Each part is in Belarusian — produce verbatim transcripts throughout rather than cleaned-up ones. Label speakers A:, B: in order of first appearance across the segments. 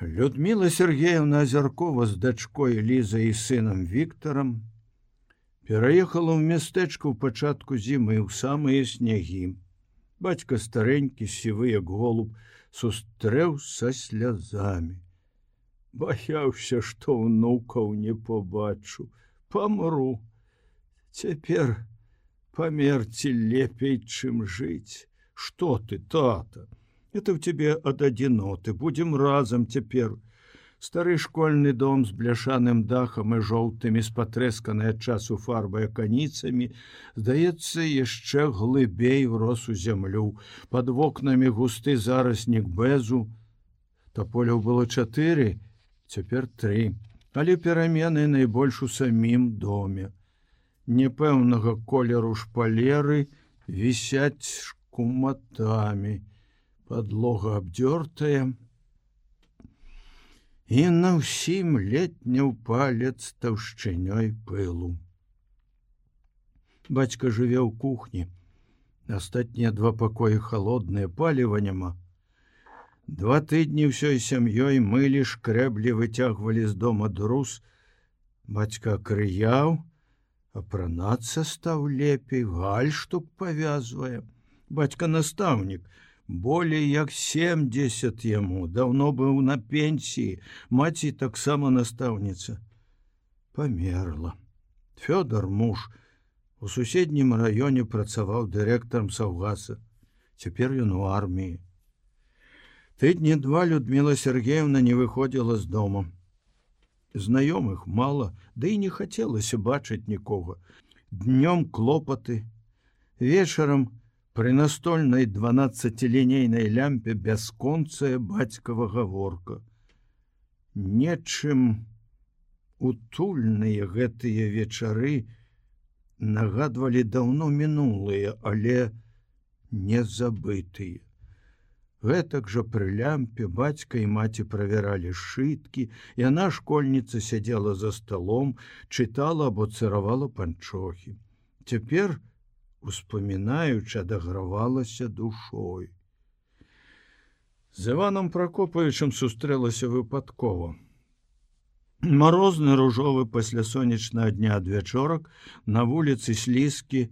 A: Людмила Сергеевна Озеркова з дачкой Лізай і сынам Віктарам пераехала ў мястэчка ў пачатку зімы ў самыя снегі. Бацька старенькі, сівы як голуб, сустрэў са слязамі. Баяўся, што ўнукаў не побачу, памру. Цяпер памерці лепей, чым жыць. Што ты, тата? Это ў тебе ад адзіноты, будзем разам цяпер. Стары школьны дом з бляшаным дахам і жоўтымі з патрэсканай ад часу фарбай аканіцамі, здаецца, яшчэ глыбей урос у зямлю. Пад вокнамі густы зараснік бэзу. Таполяў было чатыры, цяпер тры, але перамены найбольш у самім доме. Непэўнага колеру шпалеры вісяць шкуматамі. Падлога абдёртая, і на ўсім летняў палец таўшчынёй пылу. Бацька жыве ў кухні. Астатнія два пакоі халодныя, паліва няма. Два тыдні ўсёй сям'ёй мылі, шкрэблі, выцягвалі з дома друз. Бацька акрыяў, апранацца стаў лепей, гальштук павязвае. Бацька настаўнік, болей як семдзесят яму, даўно быў на пенсіі, маці таксама настаўніца. Памерла. Фёдор, муж, у суседнім раёне працаваў дырэктарам саўгаса. Цяпер ён у арміі. Тыдні два Людмила Сергеевна не выходзіла з дома. Знаёмых мала, ды і не хацелася бачыць нікога. Днём клопаты, вечарам пры настольнай дванаццацілінейнай лямпе бясконцая бацькава гаворка. Нечым утульныя гэтыя вечары нагадвалі даўно мінулыя, але не забытыя. Гэтак жа пры лямпе бацька і маці правяралі сшыткі, яна, школьніца, сядзела за сталом, чытала або цыравала панчохі. Цяпер, успамінаючы, адагравалася душой. З Іваном Пракопавічам сустрэлася выпадкова. Марозны ружовы паслясонечнага дня адвячорак на вуліцы слізкі,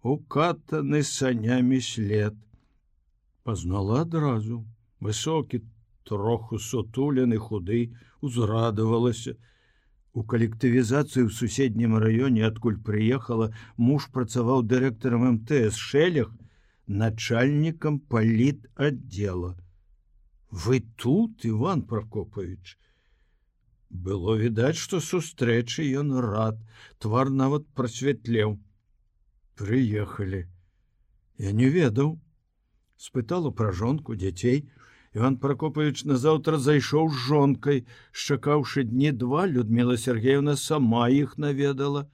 A: укатаны санямі след. Пазнала адразу. Высокі, троху сутулены, худы, узрадавалася. У калектывізацыі ў суседнім раёне, адкуль прыехала, муж працаваў дырэктарам эм тэ эс Шэлях, начальнікам палітаддзела. Вы тут, Іван Пракопавіч? Было відаць, што сустрэчы ён рад, твар нават прасвятлеў. Прыехалі. Я не ведаў. Спытала пра жонку, дзяцей. Іван Пракопавіч назаўтра зайшоў з жонкай. Шчакаўшы дні два, Людмила Сергеевна сама іх наведала.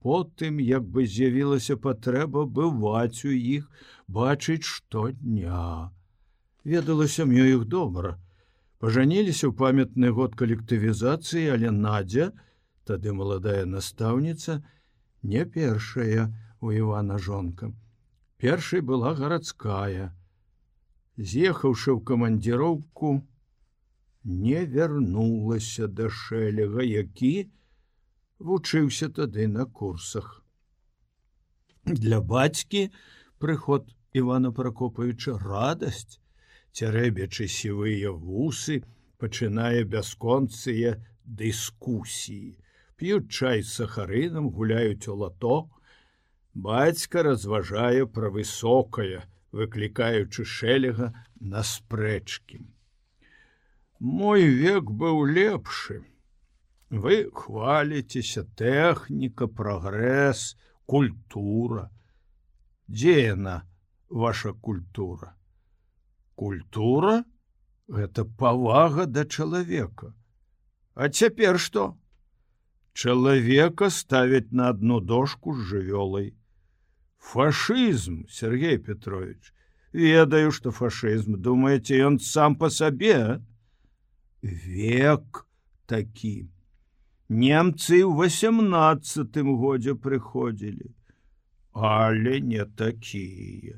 A: Потым, як бы з'явілася патрэба бываць у іх, бачыць штодня. Ведала сям'ю іх добра. Пажаніліся ў памятны год калектывізацыі, але Надзя, тады маладая настаўніца, не першая у Івана жонка. Першай была гарадская. З'ехаўшы ў камандзіроўку, не вярнулася да Шэлега, які вучыўся тады на курсах. Для бацькі прыход Івана Пракопавіча радасць. Цярэбячы сівыя вусы, пачынае бясконцыя дыскусіі. П'юць чай з сахарынам, гуляюць у лато. Бацька разважае пра высокае, выклікаючы Шэлега на спрэчкі. Мой век быў лепшы. Вы хваліцеся, тэхніка, прагрэс, культура. Дзе яна, ваша культура? Культура – гэта павага да чалавека. А цяпер што? Чалавека ставяць на адну дошку з жывёлай. Фашызм, Сергей Петрович. Ведаю, што фашызм. Думаеце, ён сам па сабе? Век такі. Немцы ў васямнаццатым годзе прыходзілі. Але не такія.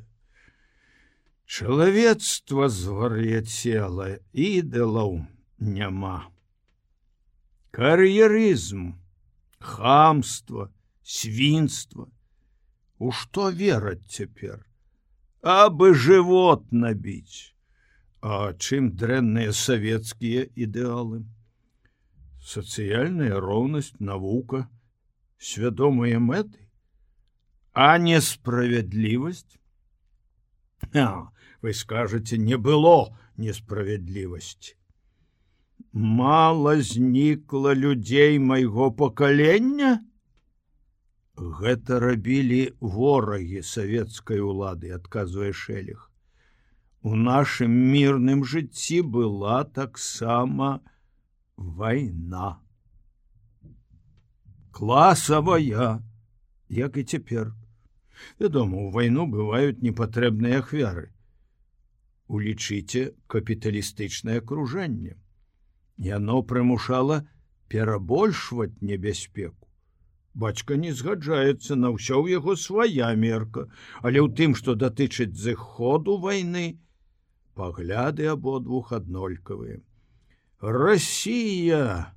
A: Чалавецтва звар'яцела, ідалаў няма. Кар'ерызм, хамства, свінства. У што вераць цяпер? Абы жывот набіць. А чым дрэнныя савецкія ідэалы? Сацыяльная роўнасць, навука, свядомыя мэты, а несправядлівасць? А, вы скажаце, не было несправядлівасці. Мала знікла людзей майго пакалення? Гэта рабілі ворагі савецкай улады, адказвае Шэлег. У нашым мірным жыцці была таксама вайна. Класавая, як і цяпер. Вядома, у вайну бываюць непатрэбныя ахвяры. Улічыце капіталістычнае акружэнне. Яно прымушала перабольшваць небяспеку. Бацька не згаджаецца, на ўсё ў яго свая мерка, але ў тым, што датычыць зыходу вайны, пагляды абодвух аднолькавыя. Расія,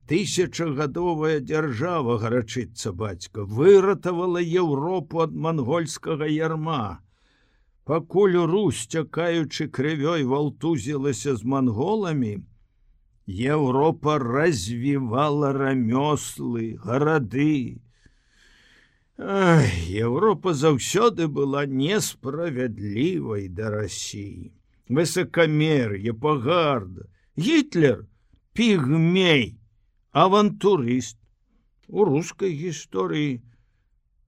A: тысячагадовая дзяржава, гарачыцца бацька, выратавала Еўропу ад мангольскага ярма. Пакуль Русь, цякаючы крывёй, валтузілася з манголамі, Еўропа развівала рамёслы, гарады. Ай, Еўропа заўсёды была несправядлівай да Расіі. Высакамер'е, пагарда. Гітлер – пігмей, авантурыст. У рускай гісторыі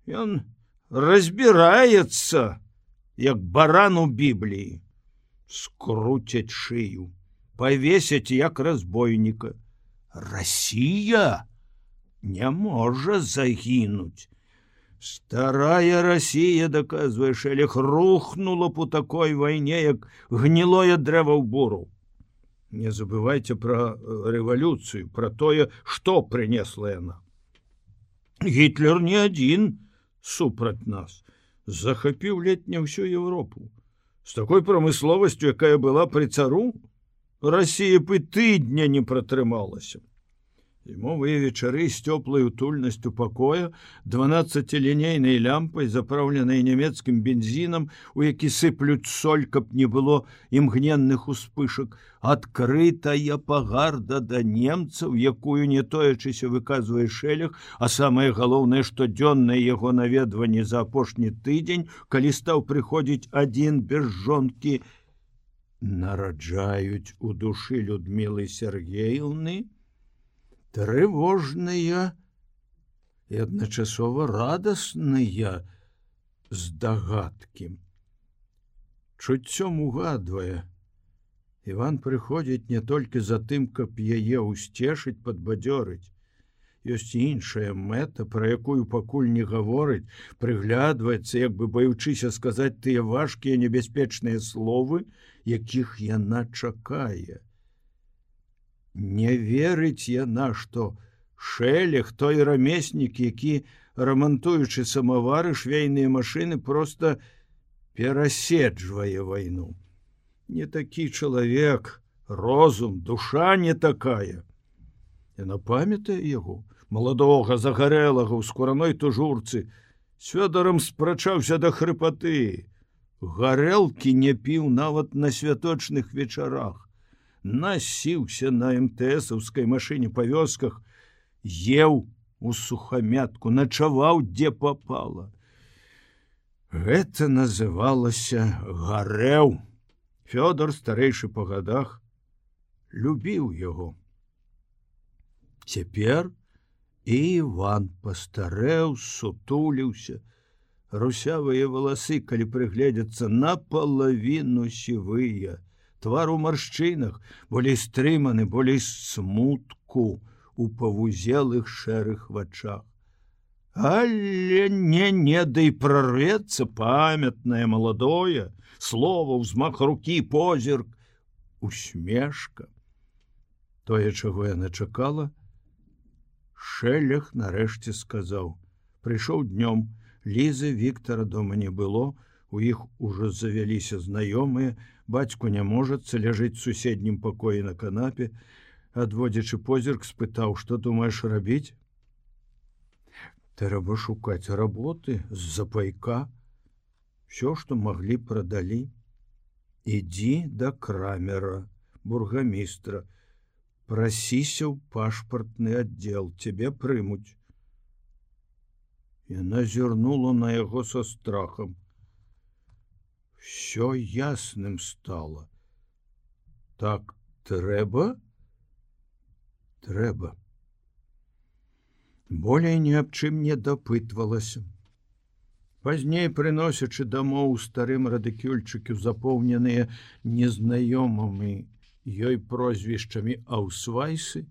A: ён разбіраецца, як баран у Бібліі. Скруцяць шыю, павесяць як разбойніка. Расія не можа загінуць. Старая Расія, доказвае Шэлег, рухнула б у такой вайне, як гнілое дрэва ў буру. Не забывайце пра рэвалюцыю, пра тое, што прынесла яна. Гітлер не адзін супраць нас. Захапіў ледзь не ўсю Еўропу. З такой прамысловасцю, якая была пры цару, Расія б і тыдня не пратрымалася. Зімовыя вечары з цёплай утульнасцю пакоя, дванаццацілінейнай лямпай, запраўленай нямецкім бензінам, у які сыплюць соль, каб не было імгненных успышак, адкрытая пагарда да немцаў, якую не тоячыся выказвае Шэлег, а самае галоўнае, штодзённае яго наведванне за апошні тыдзень, калі стаў прыходзіць адзін без жонкі, нараджаюць у душы Людмілы Сергеевны трывожныя і адначасова радасныя здагадкі. Чуццём угадвае, Іван прыходзіць не толькі за тым, каб яе ўсцешыць, падбадзёрыць. Ёсць іншая мэта, пра якую пакуль не гаворыць, прыглядваецца, як бы баючыся сказаць тыя важкія небяспечныя словы, якіх яна чакае. Не верыць яна, што Шэлег, той рамеснік, які, рамантуючы самавары, швейныя машыны, проста пераседжвае вайну. Не такі чалавек, розум, душа не такая. Яна памятае яго, маладога, загарэлага ў скураной тужурцы, з Фёдарам спрачаўся да хрыпаты. Гарэлкі не піў нават на святочных вечарах. Насіўся на эмтэсаўскай машыне па вёсках, еў у сухамятку, начаваў, дзе папала. Гэта называлася гарэў. Фёдар, старэйшы па гадах, любіў яго. Цяпер і Іван пастарэў, сутуліўся. Русявыя валасы, калі прыгледзяцца, напалавіну сівыя. Твар у маршчынах, болей стрыманы, болей смутку у павузелых шэрых вачах. Але не-не, да і прарвецца памятнае, маладое, слова, ўзмах рукі, позірк, усмешка. Тое, чаго яна чакала, Шэлег нарэшце сказаў. Прыйшоў днём, Лізы, Віктара дома не было, У іх ужо завяліся знаёмыя, бацьку няможацца ляжыць у суседнім пакоі на канапе, адводзячы позірк, спытаў: што думаеш рабіць? Трэба шукаць работы з-за пайка. Всё, што маглі, прадалі. Ідзі да крамера, бургамістра, прасіся ў пашпартны аддзел, цябе прымуць. Яна зірнула на яго са страхам. Всё ясным стала. Так трэба? Трэба. Болей ні аб чым не дапытвалася. Пазней, прыносячы дамоў у старым радыкюльчыку, запоўненыя незнаёмымі ёй прозвішчамі аўсвайсы,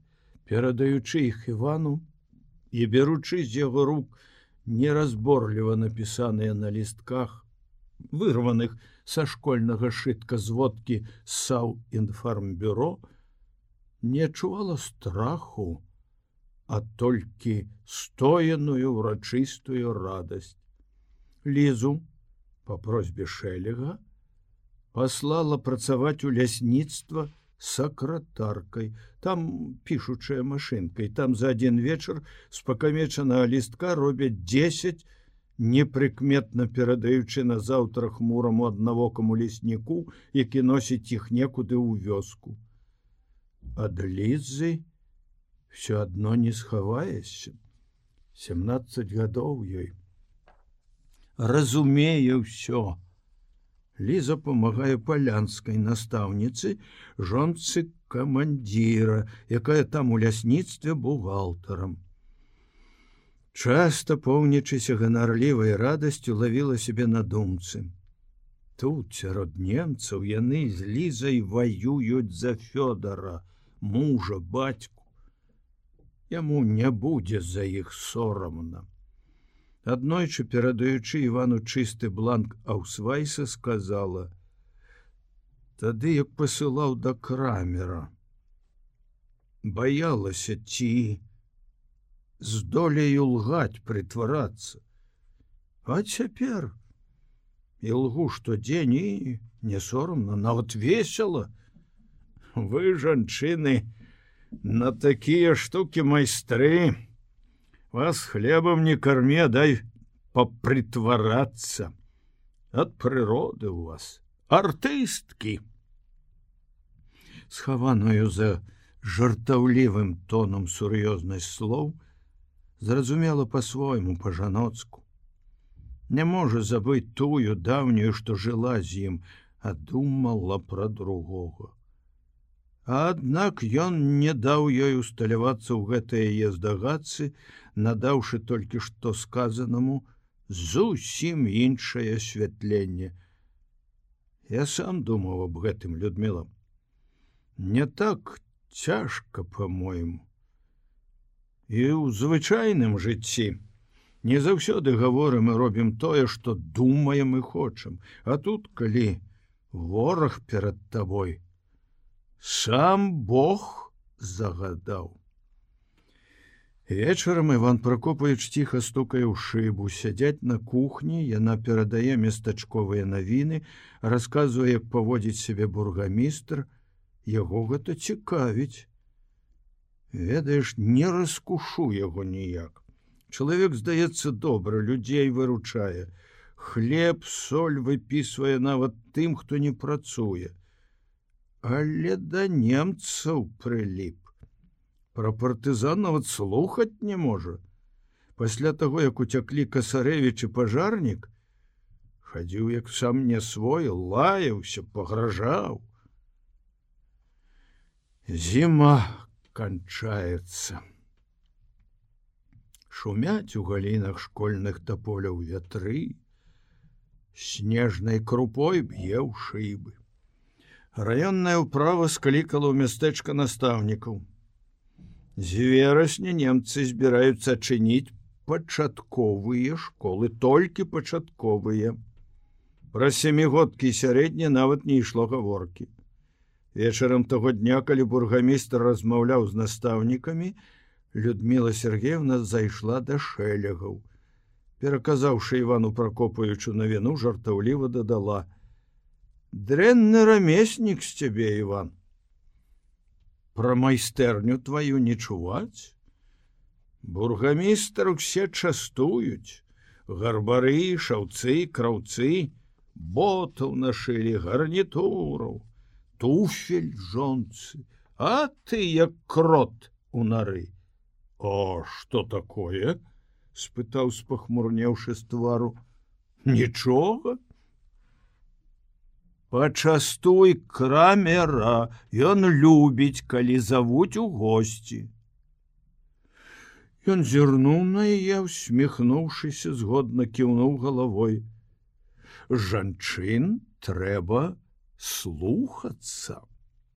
A: перадаючы іх Івану і беручы з яго рук неразборліва напісаныя на лістках, вырваных са школьнага шытка зводкі Саўінфармбюро, не адчувала страху, а толькі стояную ўрачыстую радасць. Лізу по просьбе Шэлега паслала працаваць у лясніцтва сакратаркай, там пішучая машынкай, там за адзін вечар з пакамечанага лістка робяць дзесяць, непрыкметна перадаючы на заўтра хмураму аднавокаму лесніку, які носіць іх некуды ў вёску. Ад Лізы все адно не схаваешся. семнадцаць гадоў ёй. Разумее ўсё. Ліза памагае палянскай настаўніцы, жонцы камандзіра, якая там у лясніцтве бухгалтарам. Часта, поўнічыся ганарлівай радасцю, лавіла сябе на думцы. Тут, сярод немцаў, яны з Лізай ваююць за Фёдора, мужа, бацьку. Яму не будзе за іх сорамна. Аднойчы, перадаючы Івану чысты бланк аўсвайса, сказала: тады, як пасылаў да крамера, баялася, ці здолею лгаць, прытварацца. А цяпер і лгу штодзень, і не сорамна, нават весела. Вы, жанчыны, на такія штукі майстры. Вас хлебам не карме, дай попритварацца. Ад прыроды у вас артысткі. Схаваную за жартаўлівым тонам сур'ёзнасць слоў зразумела па-свойму, па-жаноцку. Не можа забыць тую даўнюю, што жыла з ім, а думала пра другога. Аднак ён не даў ёй усталявацца ў гэтыя яе здагадцы, надаўшы толькі што сказанаму зусім іншае асвятленне. Я сам думаў аб гэтым, Людміла. Не так цяжка, по-мойму. І ў звычайным жыцці не заўсёды гаворым і робім тое, што думаем і хочам. А тут, калі вораг перад табой, сам Бог загадаў. Вечарам Іван Пракопавіч ціха стукае ў шыбу, сядзяць на кухні, яна перадае местачковыя навіны, расказвае, як паводзіць сябе бургамістр, яго гэта цікавіць. Ведаеш, не раскушу яго ніяк. Чалавек, здаецца, добра, людзей выручае. Хлеб, соль выпісвае нават тым, хто не працуе. Але да немцаў прыліп. Пра партызан нават слухаць не можа. Пасля таго, як уцяклі Касарэвіч і пажарнік, хадзіў як сам не свой, лаяўся, пагражаў. Зіма канчаецца. Шумяць у галінах школьных таполяў вятры, снежнай крупой б'е ў шыбы. Раённая ўправа склікала ў мястэчка настаўнікаў. З верасня немцы збіраюцца адчыніць пачатковыя школы, толькі пачатковыя. Пра сямігодкі і сярэднія нават не ішло гаворкі. Вечарам таго дня, калі бургамістр размаўляў з настаўнікамі, Людміла Сергеевна зайшла да Шэлегаў. Пераказаўшы Івану Пракопавічу навіну, жартаўліва дадала: «Дрэнны рамеснік з цябе, Іван. Пра майстэрню тваю не чуваць? Бургамістр усе частуюць, гарбары, шаўцы, краўцы, ботаў нашылі, гарнітураў, туфель жонцы, а ты як крот у нары». «А што такое?» — спытаў, спахмурнеўшы з твару. «Нічога. Пачастуй крамера, ён любіць, калі завуць у госці». Ён зірнуў на яе, усміхнуўшыся, згодна кіўнуў галавой. «Жанчын трэба слухацца».